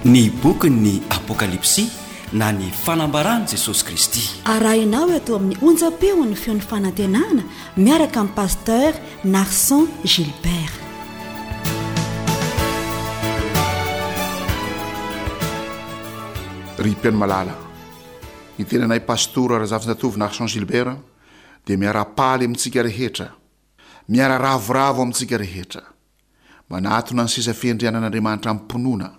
Ny bokin'ny Apokalypsy na ny Fanambaran'i Jesosy Kristy. Arahinao eto amin'ny onjam-peon'ny Feon'ny Fanantenana miaraka amin'i Pasteur Narson Gilbert. Ry mpihaino malala, ny tenanay Pastora Razafinjatovo Narson Gilbert dia miara-paly amintsika rehetra, miara-ravoravo amintsika rehetra. Manatona ny seza fiandrianan'Andriamanitra amim-pinoana,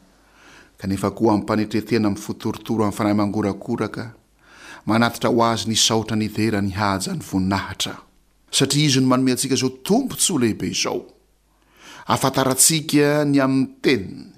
kanefa koa amim-panetren-tena amin'ny fo torotoro amin'ny fanahy mangorakoraka, manatitra ho Azy ny saotra ny dera ny haja ny voninahitra. Satria Izy no manome antsika izao tombontsoa lehibe izao. Ahafantarantsika ny amin'ny Teniny.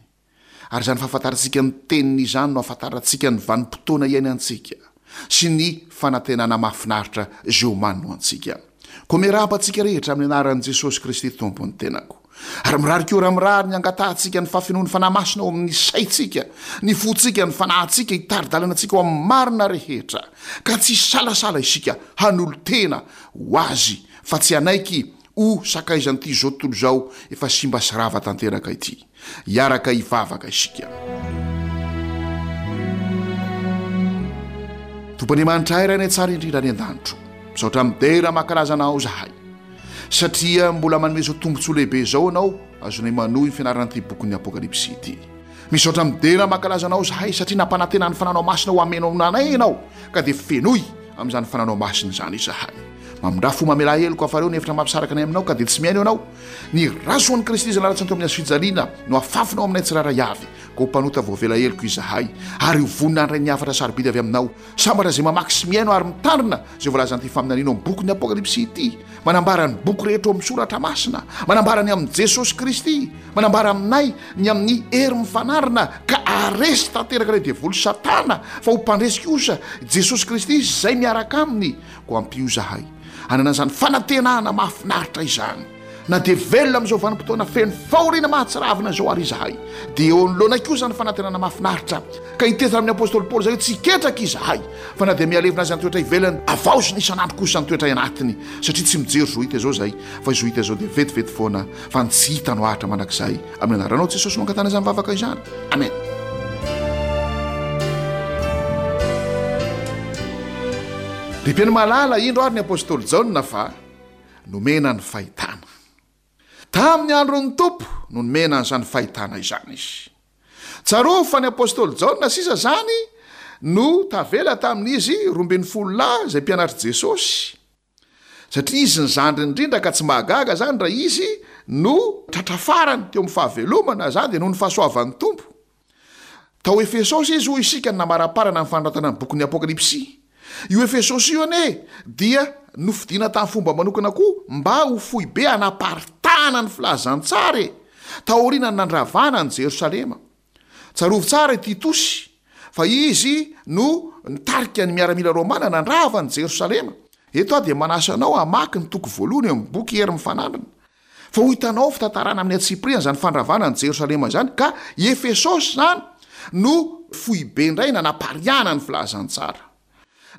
Ary izany fahafantarantsika ny Teniny izany no ahafantarantsika ny vanim-potoana iainantsika sy ny fanantenana mahafinaritra izay omaniny ho antsika. Koa miarahaba antsika rehetra amin'ny anaran'i Jesosy Kristy Tompo ny tenako. Ary mirary koa raha mirary ny hangatahantsika ny fahafenoan'ny Fanahy Masina ao amin'ny saintsika, ny fontsika, ny fanahintsika, hitari-dalana antsika ho amin'ny marina rehetra, ka tsy hisalasala isika hanolo-tena ho Azy fa tsy hanaiky ho sakaizan'ity izao tontolo izao efa simba sy rava tanteraka ity. Hiaraka hivavaka isika. Tompo Andriamanitra ay Rainay tsara indrindra any an-danitro, misaotra midera mankalaza Anao izahay, satria mbola manome izao tombontsoa lehibe izao Ianao azonay manohy ny fianarana ity bokin'ny Apokalypsy ity. Misaotra midera mankalaza Anao izahay satria nampanantena ny Fananao Masina ho hameno anay Ianao, ka dia fenoy amin'izany Fananao Masina izany izahay. Mamindrà fo mamelà heloka fa reo ny hevitra mampisaraka anay aminao ka dia tsy mihaino Ianao. Ny ra soan'i Kristy izay nalatsany teo amin'ny hazofijaliana no afafinao aminay tsirairay avy, koa ho mpanota voavela heloka izahay, ary ho vonona handray ny hafatra sarobidy avy aminao. Sambatra izay mamaky sy mihaino ary mitandrina izay voalazan'ity faminaniana ao amin'ny bokin'ny Apokalypsy ity, manambara ny boky rehetra ao amin'ny Soratra Masina, manambara ny amin'i Jesosy Kristy, manambara aminay ny amin'ny hery mifanarina ka haharesy tanteraka ilay devoly Satana, fa ho mpandresy kosa Jesosy Kristy sy izay miaraka aminy. Koa ampio izahay hanana izany fanantenana mahafinaritra izany. Na dia velona amin'izao vanim-potoana feno fahoriana mahatsiravina izao àry izahay, dia eo anoloanay koa izany fanantenana mahafinaritra, ka hiteny amin'ny apostoly Paoly izay hoe tsy hiketraka izahay, fa na dia mihalevona aza ny toetra ivelany, havaozina isan'andro kosa ny toetra anatiny, satria tsy mijery izao hita izao izahay, fa izao hita izao dia vetivety foana, fa ny tsy hita no haharitra mandrakizay. Amin'ny anaranao Jesosy no angatahana izany vavaka izany. Amen. Ry mpihaino malala, indro ary ny apostoly Jaona fa nomena ny fahitana. Tamin'ny andron'ny Tompo no nomena an'izany fahitana izany izy. Tsarovy fa ny apostoly Jaona sisa izany no tavela tamin'izy 12 lahy izay mpianatr'i Jesosy. Satria izy ny zandriny indrindra ka tsy mahagaga izany raha izy no tratra farany teo amin'ny fahavelomana, izany dia noho ny fahasoavan'ny Tompo. Tao Efesosy izy hoy isika no namaraparana ny fanoratana ny bokin'ny Apokalypsy. Io Efesosy io anie dia nofidina tamin'ny fomba manokana koa mba ho foibe hanaparitahana ny filazantsara e! Taorian'ny nandravana an'i Jerosalema. Tsarovy tsara i Titosy, fa izy no nitarika ny miaramila romana nandrava an'i Jerosalema. Eto aho dia manasa anao hamaky ny toko voalohany eo amin'ny boky Hery Mifanandrina, fa ho hitanao ao fitantarana amin'ny antsipiriany izany fandravana an'i Jerosalema izany, ka i Efesosy izany no foibe indray nanapariahana ny filazantsara.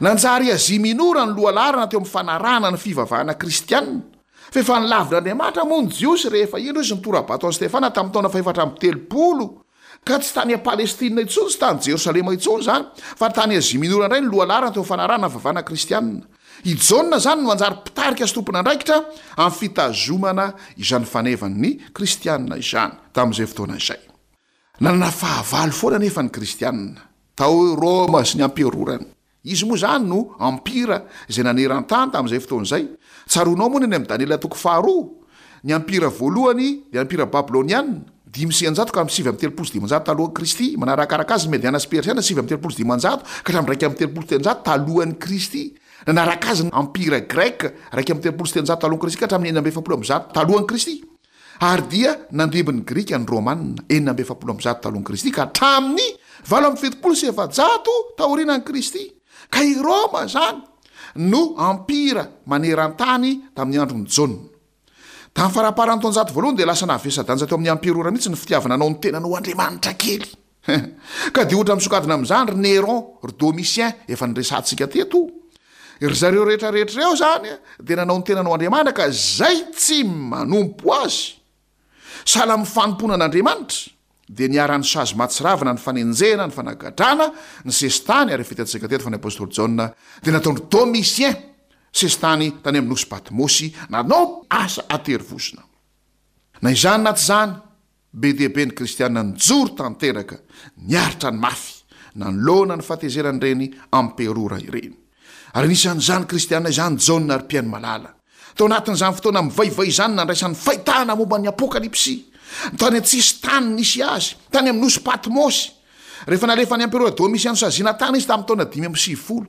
Nanjary Azia Minora ny lohalaharana teo amin'ny fanarahana ny fivavahana kristianina. Fa efa nolavin'Andriamanitra moa ny Jiosy rehefa indro izy nitora-bato an'i Stefana tamin'ny taona fahefatra amby 30, ka tsy tany Palestina intsony, tsy tany Jerosalema intsony izany, fa tany Azia Minora indray ny lohalaharana teo amin'ny fanarahana ny fivavahana kristianina. I Jaona izany no nanjary mpitarika sy tompon'andraikitra amin'ny fitazomana izany fanevan'ny kristianina izany tamin'izay fotoana izay. Nanana fahavalo foana anefa ny Kristianina, tao Roma sy ny amperorany. Izy moa izany no empira izay naneran-tany tamin'izay fotoana izay. Tsaroanao moa ny any amin'i Daniela toko faharoa? Ny empira voalohany dia empira babyloniana, 105 ka hatramin'ny 539 talohan'i Kristy. Manarakaraka azy ny Mediana sy Persiana, 539 ka hatramin'ny 331 talohan'i Kristy. Nanaraka azy ny empira greka, 331 talohan'i Kristy ka hatramin'ny 146 talohan'i Kristy. Ary dia nandimby ny Grika ny Romana, 146 talohan'i Kristy ka hatramin'ny 478 taorianan'i Kristy. Ka i Roma izany no empira maneran-tany tamin'ny andron'i Jaona. Tamin'ny faramparan'ny taonjato voalohany dia lasa navesa-danja teo amin'ny emperora mihitsy ny fitiavana hanao ny tenany ho andriamanitra kely. Ka dia ohatra misongadina amin'izany ry Néron, ry Domitien, efa niresahantsika teto. Ry zareo rehetra rehetra ireo izany dia nanao ny tenany ho andriamanitra ka izay tsy manompo azy, sahala amin'ny fanompoana an'Andriamanitra. Dia niharan'ny sazy mahatsiravina ny fanenjehana, ny fanagadrana, ny sesitany, ary efa hitantsika teto fa ny apostoly Jaona dia nataon-dry Domitien sesitany tany amin'ny nosy Patmosy, nanao asa an-terivozona. Na izany na tsy izany, be dia be ny kristiana nijoro tanteraka, niaritra ny mafy, nanoloana ny fahatezeran'ireny amperora ireny. Ary anisan'izany kristiana izany Jaona ry mpihaino malala. Tao anatin'izany fotoana mivaivay izany nandraisany fahitana momba ny Apokalypsy, tany an-tsisintany nisy azy, tany amin'ny nosy Patmosy, rehefa nalefan'ny Emperora Domitian nosaziana tany izy tamin'ny taona 95.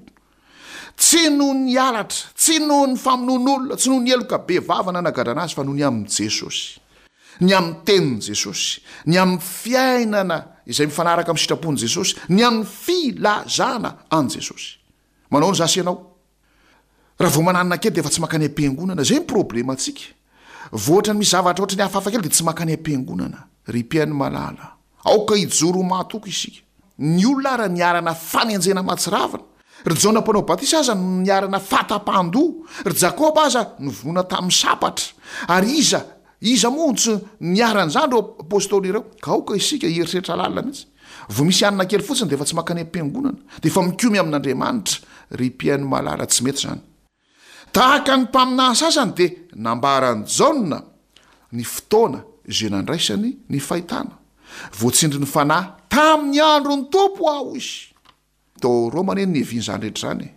Tsy noho ny halatra, tsy noho ny famonoan'olona, tsy noho ny heloka bevava nanagadrana azy, fa noho ny amin'i Jesosy, ny amin'ny tenin'i Jesosy, ny amin'ny fiainana izay mifanaraka amin'ny sitrapon'i Jesosy, ny amin'ny filazana an'i Jesosy. Manao ny za sy ianao. Raha vao mananona kely dia efa tsy mankany am-piangonana. Izay ny problemantsika. Vao ohatran'ny misy zavatra ohatran'ny hafahafa kely dia tsy mankany am-piangonana. Ry mpihaino malala, aoka hijoro ho mahatoky isika. Ny olona ara niharana fanenjehana mahatsiravina. Ry Jaona mpanao batisa aza no niharana fahatapahan-doha. Ry Jakoba aza novonoina tamin'ny sabatra. Ary iza Iza moa no tsy niharan'izany ireo apostoly ireo? Ka aoka isika hieritreritra lalina mihitsy. Vao misy hanina kely fotsiny dia efa tsy mankany am-piangonana, dia efa mikomy amin'Andriamanitra. Ry mpihaino malala, tsy mety izany. Tahaka ny mpaminany sasany dia nambaran'i Jaona ny fotoana izay nandraisany ny fahitana. Voatsindrin'ny Fanahy tamin'ny andron'ny Tompo aho, hoy izy. Tao Roma anie no niavian'izany rehetra izany e!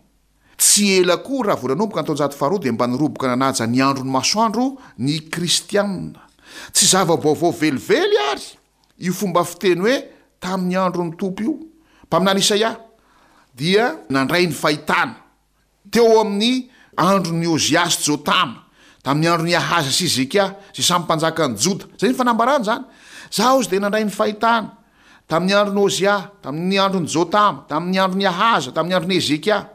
Tsy ela koa raha vao nanomboka ny taonjato faharoa dia mba niroboka nanaja ny andron'ny masoandro ny kristiana. Tsy zava-baovao velively àry io fomba fiteny hoe tamin'ny andron'ny Tompo io. Mpaminany Isaia dia nandray ny fahitana. Teo amin'ny andron'i Ozia sy Jotama, tamin'ny andron'i Ahaza sy Hezekia, izay samy mpanjakan'i Joda. Izay ny fanambarana izany. Izaho izy dia nandray ny fahitana, tamin'ny andron'i Ozia, tamin'ny andron'i Jotama, tamin'ny andron'i Ahaza, tamin'ny andron'i Hezekia.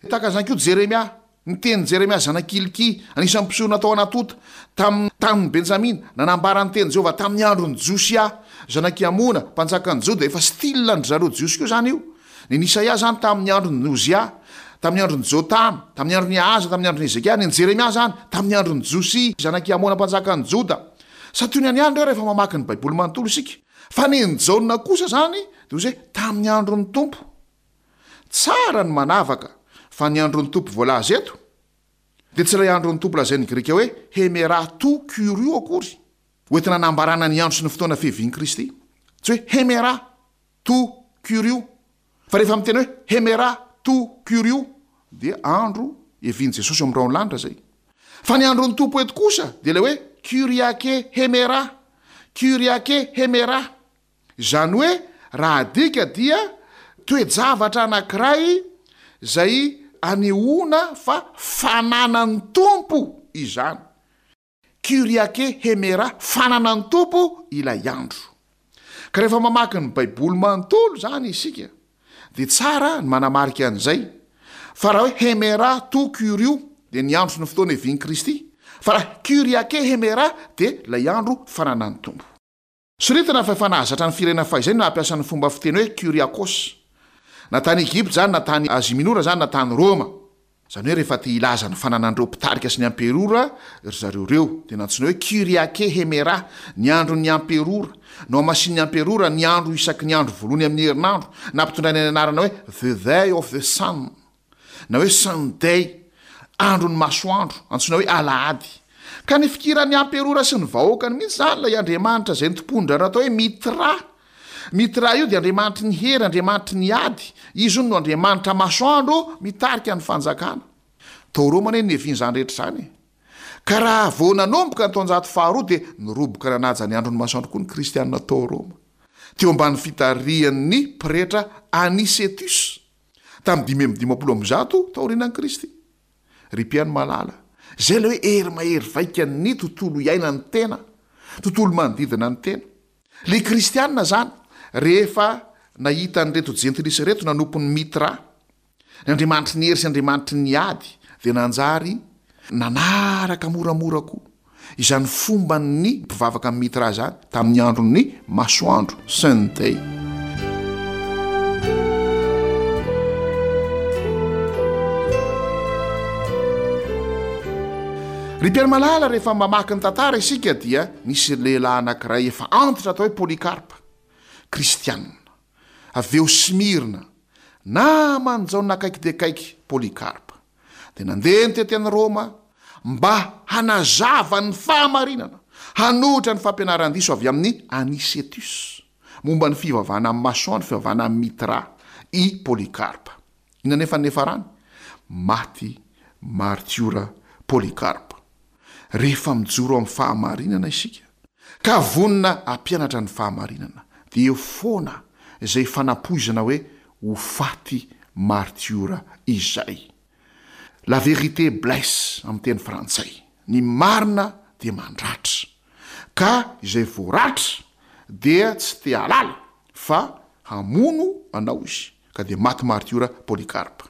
Tahaka an'izany koa Jeremia. Ny tenin'i Jeremia zanak'i Hilkia, anisan'ny mpisorona tao Anatota, tamin'ny tanin'i Benjamina, nanambara ny tenin'i Jehovah tamin'ny andron'i Josia, zanak'i Amona, mpanjakan'i Joda. Efa style-n-dry zareo Jiosy koa izany io. Ny an'i Isaia izany tamin'ny andron'i Ozia, tamin'ny andron'i Jotama, tamin'ny andron'i Ahaza, tamin'ny andron'i Hezekia, ny an'i Jeremia izany tamin'ny andron'i Josia, zanak'i Amona mpanjakan'i Joda. Santionany ihany ireo rehefa mamaky ny Baiboly manontolo isika. Fa ny an'i Jaona kosa izany dia hoy izy hoe tamin'ny andron'ny Tompo. Tsara ny manavaka fa ny andron'ny Tompo voalaza eto dia tsy ilay andron'ny Tompo lazain'ny Grika hoe hemera tou kyrio akory, hoentina hanambarana ny andro sy ny fotoana fiavian'i Kristy. Tsy hoe hemera tou kyrio. Fa rehefa miteny hoe hemera tou kyrio dia andro hiavian'i Jesosy eo amin'ny rahon'ny lanitra izay. Fa ny andron'ny Tompo eto kosa dia ilay hoe kyriake hemera, kyriake hemera. Izany hoe raha adika dia toe-javatra anankiray izay anehoana fa fananan'ny Tompo izany. Kyriake hemera, fananan'ny Tompo ilay andro. Ka rehefa mamaky ny Baiboly manontolo izany isika dia tsara ny manamarika an'izay, fa raha hoe hemera tou kyrio dia ny andro sy ny fotoana ivian'i Kristy, fa raha Kyriake hemera dia ilay andro fananan'ny Tompo. Soritana fa efa nahazatra ny firenena fahizay ny nampiasa ny fomba fiteny hoe Kyriakos. Na tany Egypta izany, na tany Azia Minora izany, na tany Roma. Izany hoe rehefa te hilaza ny fananan'ireo mpitarika sy ny amperora ry zareo ireo, dia nantsoina hoe Kyriake Hemera, ny andron'ny amperora. Nohamasinin'ny amperora ny andro isaky ny andro voalohany amin'ny herinandro, nampitondraina ny anarana hoe The Day of the Sun. na hoe Sunday, andron'ny masoandro, antsoina hoe alahady. Ka nifikiran'ny amperora sy ny vahoakany mihitsy izany ilay andriamanitra izay nitompoan-dry atao hoe Mitra. Mitra io dia andriamanitry ny hery, andriamanitry ny ady. Izy hono no andriamanitra masoandro mitarika ny fanjakana. Tao Roma anie no niavian'izany rehetra izany e. Ka raha vao nanomboka ny taonjato faharoa dia niroboka nanaja ny andron'ny masoandro koa ny kristianina tao Roma. Teo ambany fitarihan'ny pretra Anicetus. tamin'ny 155 taorianan'i Kristy. Ry mpihaino malala, izay ilay hoe hery mahery vaikan'ny tontolo iainan'ny tena, tontolo manodidina ny tena. Ilay kristiana izany, rehefa nahita an'ireto jentilisa ireto nanompo ny Mitra, ny andriamanitry ny hery sy andriamanitry ny ady, dia nanjary nanaraka moramora koa. Izany fomban'ny mpivavaka amin'i Mitra izany tamin'ny andron'ny masoandro, Sunday. Ry mpiara-malala, rehefa mamaky ny tantara isika dia nisy lehilahy anankiray efa antitra atao hoe Polycarpe. Kristianina, avy eo Smyrna, naman'i Jaona akaiky dia akaiky, Polycarpe, dia nandeha nitety an'i Roma mba hanazava ny fahamarinana, hanohitra ny fampianaran-diso avy amin'i Anicetus momba ny fivavahana amin'ny masoandro, fivavahana amin'i Mithra, i Polycarpe. Inona anefa ny niafarany? Maty martiora Polycarpe. Rehefa mijoro amin'ny fahamarinana isika, ka vonona hampianatra ny fahamarinana, dia eo foana izay fanampoizana hoe ho faty martiora izay. La vérité blesse amin'ny teny frantsay. Ny marina dia mandratra. Ka izay voaratra dia tsy te hahalala fa hamono anao izy. Ka dia maty martiora Polycarpe.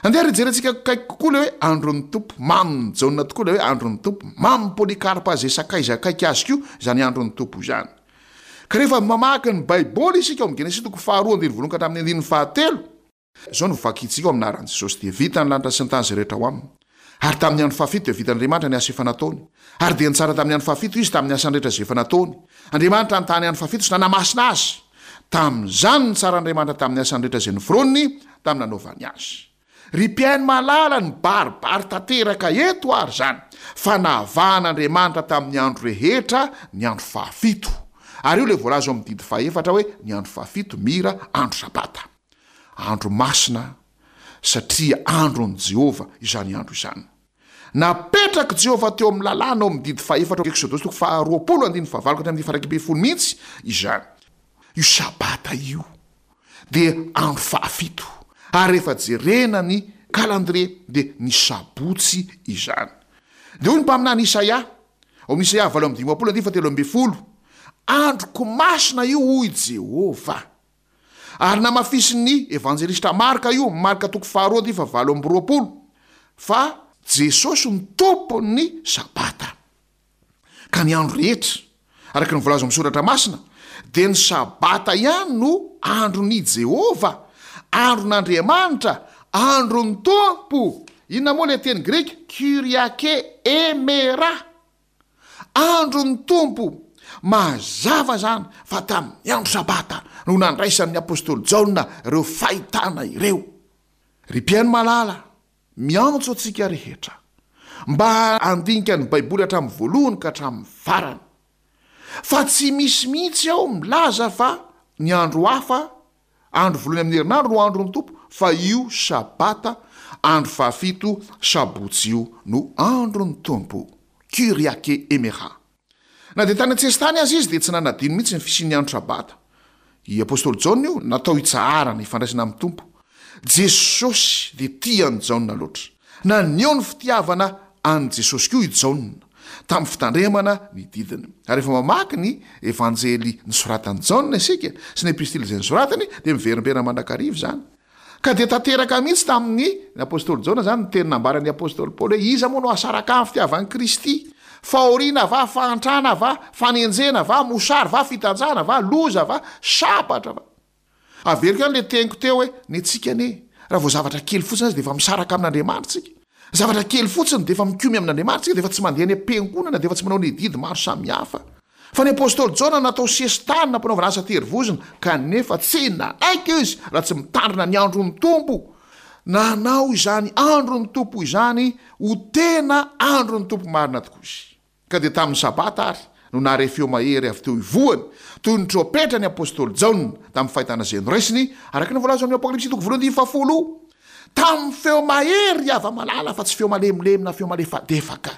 Andeha ary hijerentsika akaiky kokoa ilay hoe andron'ny Tompo. Mamin'i Jaona tokoa ilay hoe andron'ny Tompo. Mamin'i Polycarpe izay sakaiza akaiky azy koa izany andron'ny Tompo izany. Ka rehefa mamaky ny Baiboly isika ao amin'ny Genesisy toko faharoa andininy voalohany ka hatramin'ny andininy fahatelo, izao no vakintsika ao amin'ny anaran'i Jesosy, Dia vita ny lanitra sy ny tany izay rehetra ao aminy. Ary tamin'ny andro fahafito dia vitan'Andriamanitra ny asa efa nataony. Ary dia nitsara tamin'ny andro fahafito Izy tamin'ny asany rehetra izay efa nataony. Andriamanitra nitaha ny andro fahafito sy nanamasina azy. Tamin'izany nitsaran'Andriamanitra tamin'ny asany rehetra izay noforoniny tamin'ny nanaovany azy. Ry mpihaino malala, nibaribary tanteraka eto ary izany fa navahan'Andriamanitra tamin'ny andro rehetra ny andro fahafito. Ary io ilay voalaza ao amin'ny didy fahefatra hoe ny andro fahafito mira andro sabata. Andro masina satria andron'i Jehovah izany andro izany. Napetrak'i Jehovah teo amin'ny Lalàna ao amin'ny didy fahefatra ao Eksodosy toko faharoapolo andininy fahavalo ka hatramin'ny faha-iraika ambin'ny folo mihitsy izany. Io Sabata io dia andro fahafito, ary rehefa jerena ny calendrier dia ny sabotsy izany. Dia hoy ny mpaminany Isaia, ao amin'ny Isaia 58 andininy fahatelo ambin'ny folo, Androko masina io, hoy Jehovah. Ary namafisin'ny evanjelistra Marka io, Marka toko faharoa andininy fahavalo amby roapolo, fa Jesosy no Tompon'ny Sabata. Ka ny andro rehetra, araka ny voalaza ao amin'ny Soratra Masina, dia ny Sabata ihany no andron'i Jehovah, andron'Andriamanitra, andron'ny Tompo. Inona moa ilay teny grika? Kyriake emera. Andron'ny Tompo. Mazava izany fa tamin'ny andro Sabata no nandraisan'ny apostoly Jaona ireo fahitana ireo. Ry mpihaino malala, miantso antsika rehetra mba handinika ny Baiboly hatramin'ny voalohany ka hatramin'ny farany. Fa tsy misy mihitsy ao milaza fa ny andro hafa Andro voalohany amin'ny herinandro no andron'ny Tompo, fa io Sabata, andro fahafito, Sabotsy io, no andron'ny Tompo. Kyriake emera. Na dia tany an-tsesitany aza izy dia tsy nanadino mihitsy ny fisian'ny andro Sabata. I Apostoly Jaona io, natao hitsaharana, hifandraisana amin'ny Tompo. Jesosy dia tia an'i Jaona loatra. Naneho ny fitiavana an'i Jesosy koa i Jaona, tamin'ny fitandremana ny didiny. Ary rehefa mamaky ny Evanjely nosoratan'i Jaona isika, sy ny Epistily izay nosoratany, dia miverimberina mandrakariva izany. Ka dia tanteraka mihitsy tamin'ny ny apostoly Jaona izany ny teny nambaran'ny apostoly Paoly hoe, Iza moa no hahasaraka ahy amin'ny fitiavan'i Kristy? Fahoriana va, fahantrana va, fanenjehana va, mosary va, fitanjahana va, loza va, sabatra va? Averiko ihany ilay teniko teo hoe, ny antsika anie, raha vao zavatra kely fotsiny aza dia efa misaraka amin'Andriamanitra isika. Zavatra kely fotsiny dia efa mikomy amin'Andriamanitra isika, dia efa tsy mandeha any am-piangonana, dia efa tsy manao ny adidy maro samihafa. Fa ny apostoly Jaona natao sesitany, nampanaovana asa terivozona, kanefa tsy nanaiky izy raha tsy mitandrina ny andron'ny Tompo. Nanao izany andron'ny Tompo izany ho tena andron'ny Tompo marina tokoa izy. Ka dia tamin'ny Sabata àry no nahare feo mahery avy teo ivohony, toy ny trompetra ny apostoly Jaona, tamin'ny fahitana izay noraisiny, araka ny voalaza ao amin'ny Apokalypsy toko voalohany andininy fahafolo. Tamin'ny feo mahery, ry hava-malala, fa tsy feo malemilemy na feo malefadefaka,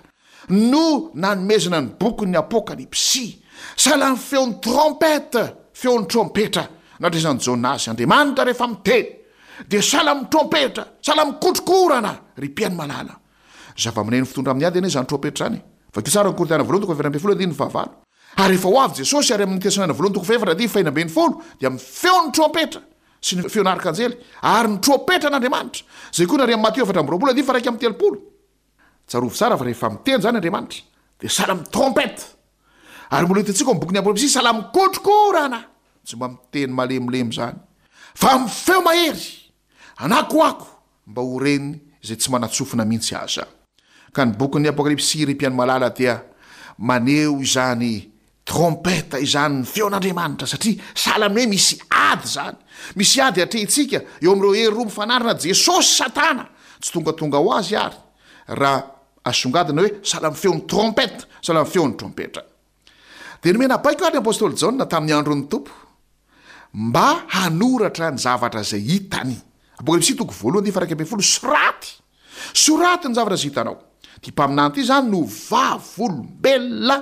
no nanomezana ny bokin'ny Apokalypsy. Sahala amin'ny feon'ny trompette, feon'ny trompetra, nandraisan'i Jaona azy. Andriamanitra rehefa miteny, dia sahala amin'ny trompetra, sahala amin'ny kotrokorana, ry mpihaino malala. Zava-maneno fitondra amin'ny ady anie izany trompetra izany e! Vakio tsara ny Korintiana voalohany toko faha 14 andininy fahavalo. Ary rehefa ho avy Jesosy ary amin'ny Tesaloniana voalohany toko fahefatra andininy fahenina ambin'ny folo dia amin'ny feon'ny trompetra sy ny feon'arkanjely ary ny trompetran'Andriamanitra, izay koa narian'i Matio 24 andininy faha 31. Tsarovy tsara fa rehefa miteny izany Andriamanitra dia sahala amin'ny trompette. Ary mbola hitantsika ao amin'ny bokin'ny Apokalypsy sahala amin'ny kotrokorana. Tsy mba miteny malemilemy izany fa amin'ny feo mahery, anakoako mba ho reny izay tsy manan-tsofina mihitsy aza. Ka ny bokin'ny Apokalypsy, ry mpihaino malala, dia maneho izany Trompette izany ny feon'Andriamanitra satria sahala amin'ny hoe misy ady izany. Misy ady atrehintsika eo amin'ireo hery roa mifanarina Jesosy sy Satana. Tsy tongatonga ho azy ary raha asongadina hoe sahala amin'ny feon'ny trompette, sahala amin'ny feon'ny trompetra. Dia nomena baiko ary ny apostoly Jaona tamin'ny andron'ny Tompo mba hanoratra ny zavatra izay hitany. Apokalypsy toko voalohany andininy faha 11, Soraty! Soraty ny zavatra izay hitanao. Ity mpaminany ity izany no vavolombelona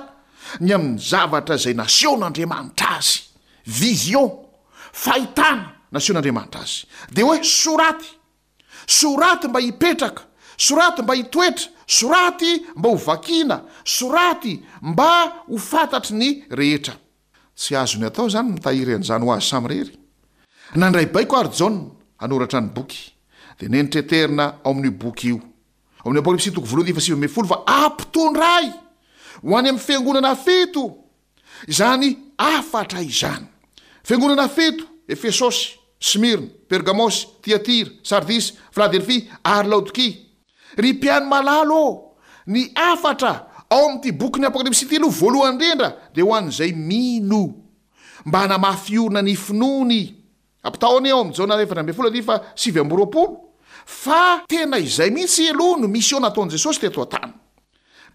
ny amin'ny zavatra izay nasehon'Andriamanitra azy. Vision, fahitana nasehon'Andriamanitra azy. Dia hoe soraty! Soraty mba hipetraka, soraty mba hitoetra, soraty mba ho vakiana, soraty mba ho fantatry ny rehetra. Tsy azony atao izany ny mitahiry an'izany ho azy samirery. Nandray baiko àry Jaona hanoratra ny boky. Dia nentreterina ao amin'io boky io, ao amin'ny Apokalypsy toko voalohany andininy faha-19 fa ampitondray ho any amin'ny fiangonana fito Izany hafatra izany. Fiangonana fito, Efesosy, Smyrna, Pergamosy, Tyatira, Sardisy, Filadelfia, ary Laodikia. Ry mpihaino malala ô, ny hafatra ao amin'ity bokin'ny Apokalypsy ity aloha voalohany indrindra dia ho an'izay mino, mba hanamafy orina ny finoany. Ampitahao anie ao amin'ny Jaona 14 andininy faha 29 fa tena izay mihitsy aloha no mission nataon'i Jesosy teto an-tany.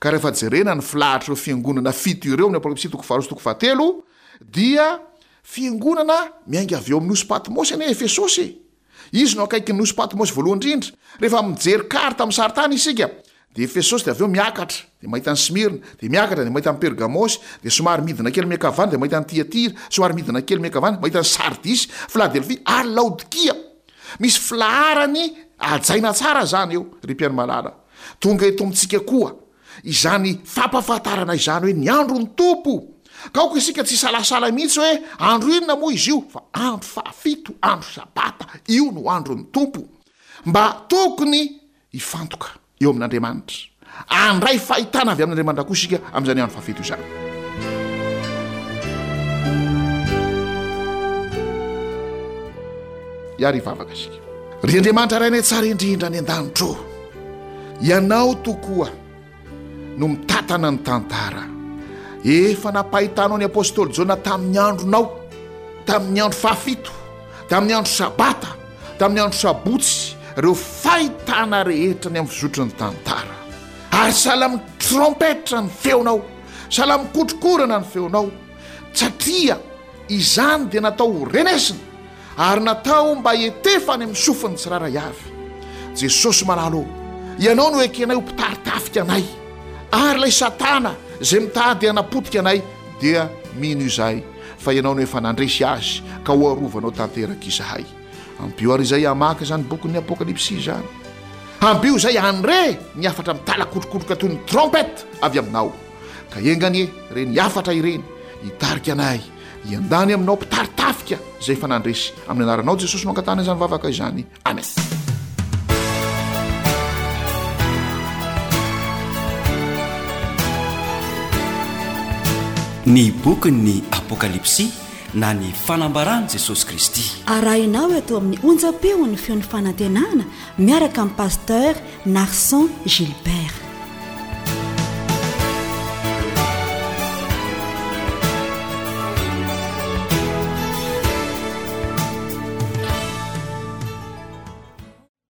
Ka rehefa jerena ny filahatr'ireo fiangonana fito ireo amin'ny Apokalypsy toko faharoa sy toko fahatelo dia fiangonana miainga avy eo amin'ny nosy Patmosy anie Efesosy e! Izy no akaikin'ny nosy Patmosy voalohany indrindra. Rehefa mijery carte amin'ny sarintany isika Dia Efesosy, dia avy eo miakatra, dia mahita an'i Smyrna, dia miakatra, dia mahita an'i Pergamosy, dia somary midina kely miankavana, dia mahita an'i Tyatira, somary midina kely miankavana, mahita an'i Sardisy, Filadelfia, ary Laodikia. Misy filaharany hajaina tsara izany eo, ry mpihaino malala. Tonga eto amintsika koa izany fampahafantarana izany hoe ny andron'ny Tompo. Ka aoka isika tsy hisalasala mihitsy hoe andro inona moa izy io, fa andro fahafito, andro Sabata, io no andron'ny Tompo. Mba tokony hifantoka eo amin'Andriamanitra. Handray fahitana avy amin'Andriamanitra koa isika amin'izany andro fahafito izany. Hiary hivavaka isika. Ry Andriamanitra Rainay tsara indrindra any an-danitra ô, Ianao tokoa no mitantana ny tantara. Efa nampahitanao ny apostoly Jaona tamin'ny andronao, tamin'ny andro fahafito, tamin'ny andro sabata, tamin'ny andro sabotsy, ireo fahitana rehetra ny amin'ny fizotry ny tantara. Ary sahala amin'ny trompetra ny feonao, sahala amin'ny kotrokorana ny feonao, satria izany dia natao ho renesina ary natao mba hetefa any amin'ny sofin'ny tsirairay avy. Jesosy malala ô, Ianao no ekenay ho mpitari-tafika anay, ary ilay Satana izay mitady hanapotika anay dia mino izahay fa Ianao no efa nandresy azy ka ho arovanao tanteraka izahay. Ampio àry izahay hamaky izany bokin'ny Apokalypsy izany. Ampio izahay handre ny hafatra mitalakotrokotroka toy ny trompette avy Aminao. Ka enga anie ireny hafatra ireny hitarika anay hiandany aminao mpitari-tafika izay efa nandresy. Amin'ny anaranao Jesosy no angatahana izany vavaka izany. Amen. Ny bokin'ny Apokalypsy na ny fanambaran'i Jesosy Kristy. Arahinao eto amin'ny onjam-peon'ny feon'ny fanantenana miaraka amin'i Pasteur Narson Gilbert.